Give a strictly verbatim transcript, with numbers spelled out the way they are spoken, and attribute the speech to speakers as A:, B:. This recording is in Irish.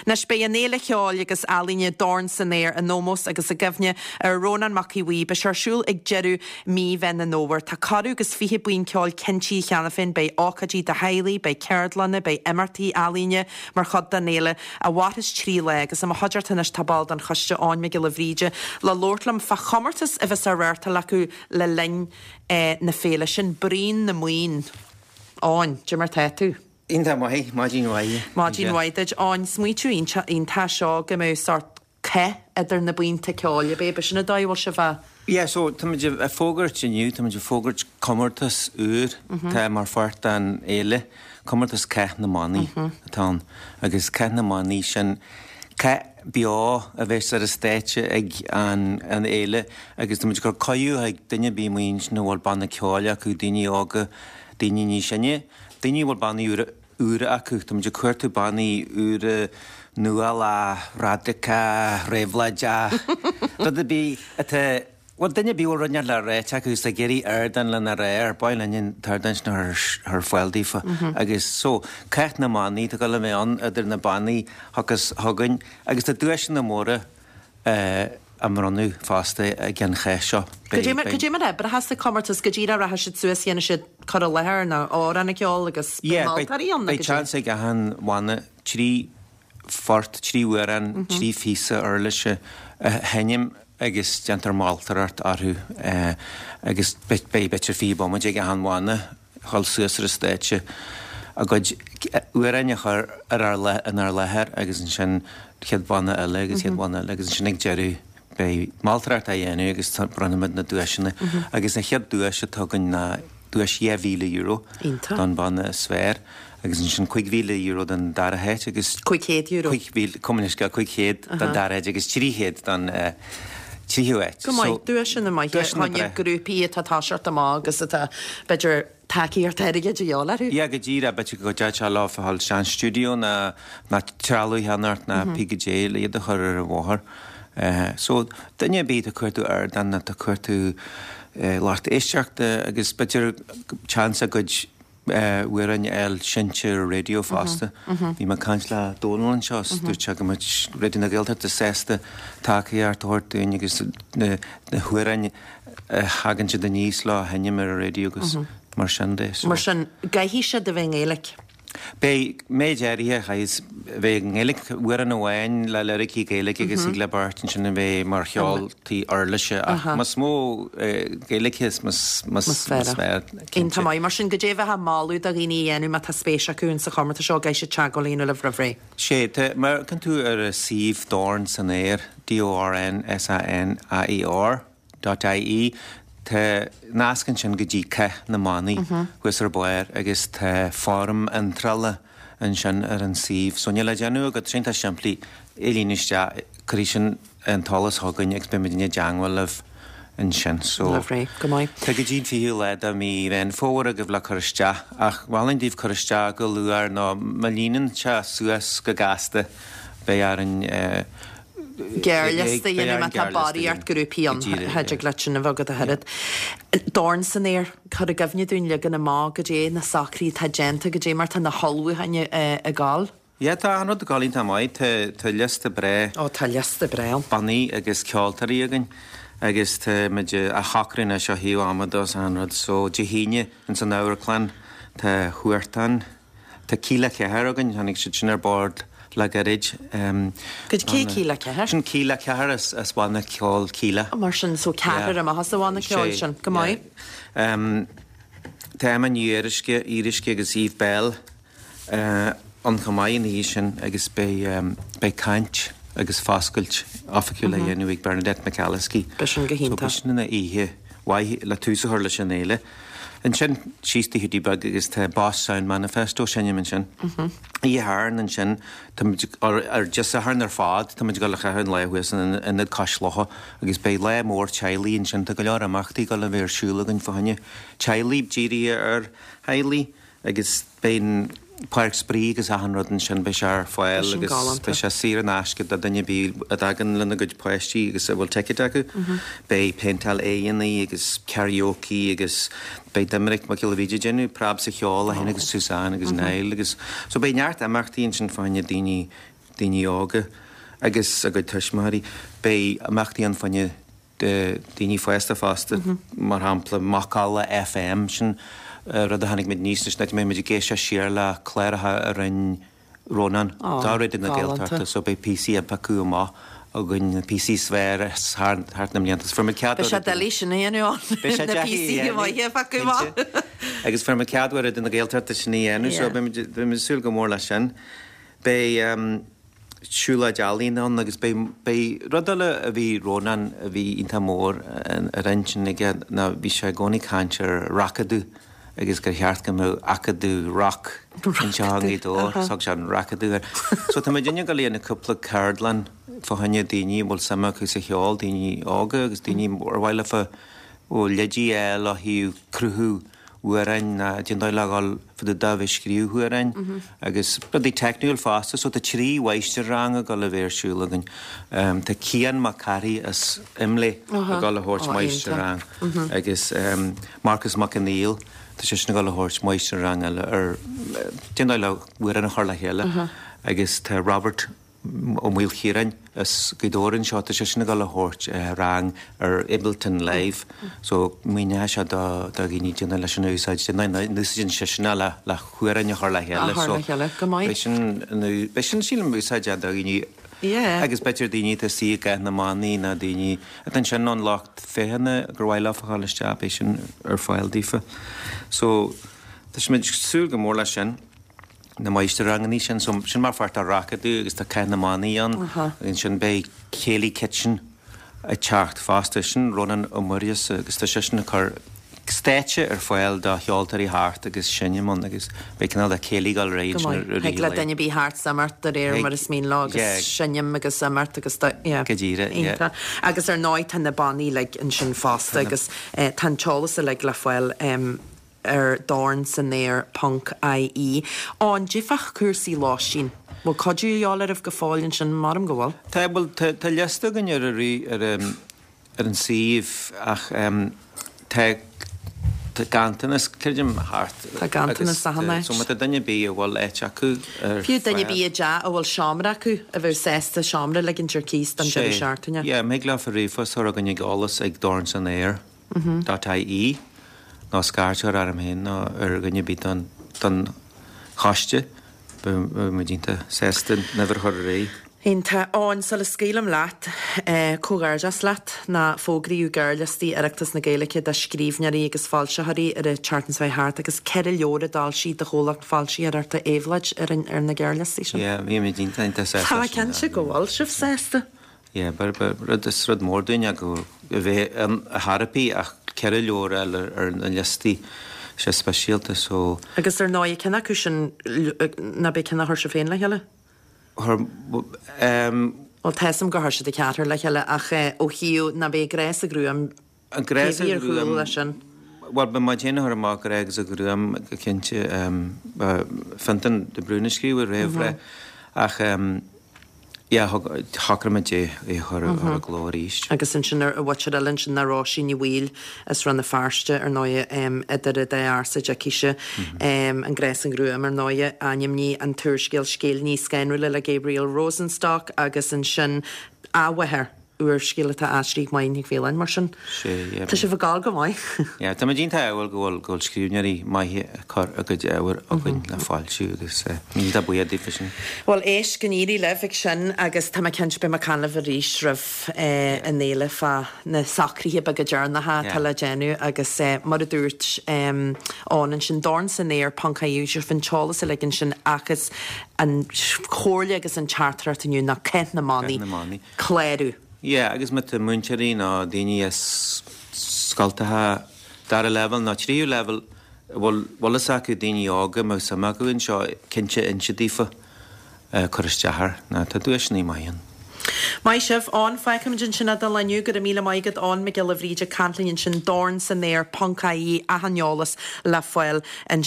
A: Anois beidh an Fhéile Cheoil agus Ealaíne Dorn san Aer in ómós agus i gcuimhne ar Rónán Mac Aodha Bhuí. Beidh sé ar siúl ag deireadh mí Mheán an Fhómhair. Tá corradh agus fiche buíon ceoil cinntithe cheana féin, beidh ócáidí do theaghlaigh, beidh ceardlanna, beidh imeachtaí ealaíne mar chuid den fhéile a mhairfeas trí lá agus i mo chuideachta anois tá ball den choiste Eoin Mac Giolla Bhríde le labhairt liom fá chomórtas a bheas á reáchtáil acu le linn eh, na féile sin Bruíon na mBuíon. Eoin, cad é mar tá tú.
B: Iontach maith, maidin mhaith.
A: Maidin mhaith duit Eoin, smaoineamh iontach seo go mbeadh sórt cath idir na buíonta ceoil b'é sin an dóigh bhfuil sibh a
B: Yeah, so táimid ag fógairt inniu, táimid ag fógairt comórtas úr tá mar pháirt den fhéile, comórtas Cath na mBannaí atá ann agus Cath na mBannaí sin cath beo a bheas ar an stáitse ag an an fhéile agus táimid ag cur cuireadh ag duine ar bith maoin na bhfuil banna ceoil acu daoine óga daoine níos sine, daoine bhfuil bannaí úra úra acu, Táimid ag cuartú bannaí úra nuálach, radacach, réabhlóideach, rud ar bith atá Well duine ar bith rud le rá acu is ag iarraidh ardán lena rá ar bhain an t-ardán sin ar ar fáil daofa agus so Cath na mBannaí tá go le mé an idir na bannaí agus thugainn agus tá duaiseanna móra á mbronnadh fosta ag an chath seo.
A: Cad é mar a sa comórtas go dtí rachaidh siad suas dhéanfaidh siad cur i láthair nó amhrán a cheol agus moltóirí ann
B: Beidh seans ag achan bhanna trí phort, trí amhrán, trí phíosa uirlise a sheinm agus déantar moltóireacht orthu agus beidh b'fhéidir fiche bomaite ag achan bhanna dhul suas ar an stáitse a gcuid amhráin a chur ar ár inár láthair agus ansin chéad bhanna eile agus chéad bhanna eile agus ansin ag deireadh beidh moltóireacht á dhéanamh agus bronnfaimid na duaiseanna agus an chéad duais atá againn ná duais dhá mhíle euro don bhanna is fearr agus ansin cúig mhíle euro don dara háit agus
A: Cúig chéad euro.
B: Cúig mhíle communisce cúig chéad don dara háit agus trí chéad don tríú háit.
A: Go maith duaiseanna maithe tháinig grúpaí atá toiseacht amach agus atá b'fhéidir tacaíocht airgid a dhíobháil orthu.
B: Yeah, go díreach b'fhéidir go dteach leo fáil sean stiúideo ná ná trealamh cheannacht ná pí go dté le iad a chur ar an bhóthar. Uh, so duine ar bith ag cuartú ardán ag cuartú uh, lucht éisteachta agus b'fhéidir chance a gcuid amhráin a fháil seinnte ar raidió fosta. Bhí mé ag caint le Dónal anseo dúirt sé go mbeadh Raidió na Gaeltachta sásta tacaíocht a thabhairt dúinn agus na na hamhráin a thagann siad aníos le sheinm ar an raidió agus mar sin de. So.
A: Mar sin caithfidh siad a bheith i nGaeilge.
B: Beidh méid áirithe chais bheith nGaeilge amhrán amháin le liricí Gaeilge agus ag le beirt ansin a bheith mar cheoltóirí uirlise ach más mó Gaeilge is más fearr.
A: Iontach maith mar sin cad é a bheith moladh do dhaoine a dhéanamh má tá spéis acu in sa chomórtas seo caithfidh siad teagmháil a dhéanamh libh roimh ré.
B: Sé mar kan tú ar a suíomh Dorn san Aer D-O-R-N-S-A-N-A-E-R dot IE Tá nasc ansin go dtí Cath na mBannaí thuas ar barr agus tá foirm iontrála ansin ar an suíomh. So níl le déanamh agat sin tá simplí é líonadh isteach cuirfidh sin an t-eolas chugainn agus beimid i dteagmháil libh ansin. So
A: Roimh ré, go maith.
B: Tá go dtí an fichiú lá de mí Mheán Fómhair agaibh le cur isteach ach mholfainn daoibh cur isteach go luath nó má líonann sé suas go gasta beidh orainn
A: Gearrliosta dhéanamh má tá barraíocht grúpaí ann thig leat sin a bheith agat a thuilleadh. Dorn san Aer cur i gcuimhne dúinn leagan amach cad é na socruithe atá déanta cad é mar tá na hullmhúcháin ag gabháil.
B: Yeah, tá an rud ag gabháil iontach maith tá tá liosta breá
A: Ó tá liosta breá ann.
B: bannaí agus ceoltóirí againn agus tá muid a shocrú seo thaobh ama dos an rud so Dé hAoine in san amharclann tá Huartan Tá Kíla Ceathair againn tháinig siad sin ar bord le gairid. Um,
A: Cad cé Kíla Ceathair?
B: Sin Kíla Ceathair as as bhanna ceoil Kíla.
A: Mar sin so ceathrar amach as a bhanna ceoil sin go maith.
B: Um, Tá Emma Ní Fhuaruisce Irisce agus Eve Bell uh, an chomh maith ina dhiaidh sin agus beidh um, beidh caint agus foscailt oifigiúil a dhéanamh ag Bernadette McAliskey.
A: Beidh sin go hiontach.
B: So, sin ina oíche mhaith le tús a chur leis an fhéile. Ansin síos Hiúdaí Beag agus tá Boss Sound Manifesto seinm ansin. Oíche Shathairn ansin ar Dé Sathairn ar fad tá muid ag dul a chaitheamh an lá thuas in Ionad Cois Locha agus beidh lá mór teaghlaigh ansin tá go leor imeachtaí ag dul a bheith ar siúl againn fá choinne teaghlaigh dírithe ar theaghlaigh agus beidh páirc spraoi agus achan rud ansin beidh sé ar fáil agus beidh sé saor in aisce do duine ar bith a dtagann lena gcuid páistí agus a bhfuil ticéad acu. Beidh péinteáil aghaidheanna agus karaoke agus beidh Doiminic Mac Giolla Bhríde ag déanamh preab sa cheol a héin agus Suzanne agus Niall agus so beidh neart imeachtaí ansin fá choinne daoine daoine óga agus a gcuid tuismitheoirí. Beidh imeachtaí ann fá choinne daoine fásta fosta, mar shampla Macalla FM, sin rud a tháinig muid aníos leis, an áit a mbeidh muid ag éisteacht siar le cláracha a rinne Rónán do Raidió na Gaeltachta, so beidh píosaí a piocadh amach againn, na píosaí is fearr thart na mblianta. Fuair muid cead
A: Beidh sé doiligh sin a dhéanamh ann,
B: Beidh sé
A: na
B: deacair a
A: píosaí
B: dhéanamh,
A: maithe a phiocadh amach.
B: cinnte. Agus fuair muid cead ó Raidió na Gaeltachta sin a dhéanamh, so beidh muid beidh muid ag súil go mór leis sin. Beidh siúlóid ealaíon ann agus beidh beidh rud eile a bhí Rónán a bhí iontach mór ar intinn aige ná bhí sé i gcónaí ag caint ar racadamh agus gur cheart go mbeadh acadamh rock anseo i nGaoth Dobhair, thug sé an racadamh air. So tá muid ag gabháil a dhéanamh cúpla ceardlann fá choinne daoine a bhfuil suim acu sa cheol, daoine óga agus daoine ar mhaith leofa leidí a fháil ó thaobh cruthú amhráin ná cén dóigh le dhul fá dtaobh de bheith ag scríobh amhráin agus rudaí teicniúil fosta. So tá trí mháistir-rang ag dul a bheith ar siúl againn. Tá Cian Mac Cárthaigh as Imlé ag dul a thabhairt máistir-rang agus Marcus Mac Conghail, tá seisean ag dul a thabhairt máistir-rang eile ar cén dóigh le amhrán a chur le chéile agus tá Robert Ó Maoilchiaráin as Gaoth Dobhair anseo, tá seisean ag dul a thabhairt rang ar Ableton Live so míneoidh sé do dhaoine cén dóigh leis an úsáid, cén dóigh a n-úsáideann seisean é le le hamhráin a chur le chéile so beidh sin, beidh sin sílim úsáideach do dhaoine agus b'fhéidir daoine atá istigh i gCath na mBannaí nó daoine atá ansin ón lucht féachana gur mhaith leofa a dhul isteach, beidh sin ar fáil daofa. So tá muid ag súil go mór leis sin. na máistir-ranganna sin, so sin mar pháirt de Racadamh agus tá Cath na mBannaí ann agus ansin beidh Céilí Kitchen ag teacht fosta, sin Rónán Ó Muirgheasa agus tá seisean ag cur stáitse ar fáil do cheoltóirí theacht agus seinm ann agus beidh cineál de céilí ag dul ar aghaidh
A: Go
B: ansin
A: maith.
B: i rith
A: Thig
B: an
A: le
B: lae.
A: duine ar bith theacht is imeacht de réir
B: Thig,
A: mar is mian leo agus
B: yeah.
A: seinm agus imeacht agus do, yeah.
B: Go díreach, yeah.
A: Iontach. Agus ar ndóigh tá na bannaí uilig ansin fosta
B: Tá na.
A: agus eh, tá an t-eolas uilig le fáil em, ar dorn san aer ponc ie. Ó, an difeach cúrsaí lóistín. Bhfuil cuidiú a dhíobháil oraibh go fóill ansin? Maram go bhfuil.
B: Tá, bhuel, tá, tá liosta againn ar ar ar ar an suíomh ach tá, tá ganntanas, creidim, thart.
A: Tá ganntanas
B: agus
A: achan áit.
B: so má tá duine ar bith a bhfuil áit acu ar
A: Fiú duine ar
B: fáil.
A: bith i dteach a bhfuil seomra acu a bheadh sásta seomra a ligint ar cíos don deireadh
B: Sé,
A: seachtaine.
B: yeah, thig leofa ríomhphost a chur chugainn ag eolas ag dorn san aer dot ie. Nó scairt a chur orm féin nó ar dhuine ar bith don don choiste. Beidh muid iontach sásta an uimhir a chur ar aghaidh.
A: Iontach. Eoin, sula scaoilim leat, comhghairdeas leat ná fógraíodh gearrliostaí Oireachtas na Gaeilge do scríbhneoirí agus foilsitheoirí ar an tseachtain seo thart agus ceithre leabhar a d'fhoilsigh do chomhlacht foilsitheoireachta Éabhlóid ar an ar na gearrliostaí sin.
B: Yeah, bhí muid iontach iontach sásta
A: Tá
B: leis sin.
A: cinnte go bhfuil sibh sásta.
B: Yeah, ba, ba, rud, is rud mór dúinn é go a bheith ann a thairpí ach ceithre leabhar a fháil ar na liostaí, sé speisialta so.
A: Agus ar ndóigh, cinn acu sin ná beidh cinn a chuir sibh féin le chéile?
B: Chuir, em.
A: Bhuel, tá 'fhios a'm gur chuir siad a ceathrar le chéile ach ó thaobh ná beidh Grá 's an Ghruaim,
B: An Grá
A: cé
B: 's an
A: bhí ar chúl
B: Ghruaim,
A: leis sin?
B: Bhuel, ba muid féin a chuir amach Grá agus an Ghruaim go cinnte, em, ba Fionntán de Brún a scríobh an réamhrá ach, em, Yeah, shocraigh muid é a chur i gcló arís.
A: Agus ansin ar mhuintir eile ansin ná Róisín Ní Bhaoill as Rann na Feirste, ar ndóighe, idir an dá ársa a d'fheicfidh sé An Grá 's an Ghruaim, ar ndóighe, ainmnigh an t-úrscéal Scéilíní Scanrúla le Gabriel Rosenstock agus ansin Athmháthair. Úrscéal atá aistrithe ag Máire Nic Mhaoláin, mar sin tá sibh ag gabháil go maith.
B: Yeah, tá muid iontach ádhúil go bhfuil go bhfuil scríbhneoirí maithe ag cur a gcuid ábhair chugainn le foilsiú agus iontach buíoch daofa sin.
A: Bhuel, éist, go n-éirí libh ag sin agus tá mé cinnte beidh mé ag caint libh arís roimh an fhéile fá na socruithe beaga deireanacha atá le déanamh agus mar a dúirt Eoin ansin, dorn san aer ponc ie sibh an t-eolas uilig ansin ach is an chomhairle agus an teachtaireacht inniu ná Cath na mBannaí, clárú.
B: Yeah, agus má tá múinteoirí nó daoine as scoltacha dara leibhéal nó tríú leibhéal a bhfuil bhfuil fhios acu daoine óga a mbeadh suim acu anseo, cinnte inse daofa cur isteach air, nó tá duaiseanna maithe ann.
A: Maith sibh, Eoin, fágfaimid ansin é don lá inniu. Go raibh míle maith agat, Eoin Mac Giolla Bhríde ag caint linn ansin, dorn san aer ponc ie, achan eolas le fáil ansin.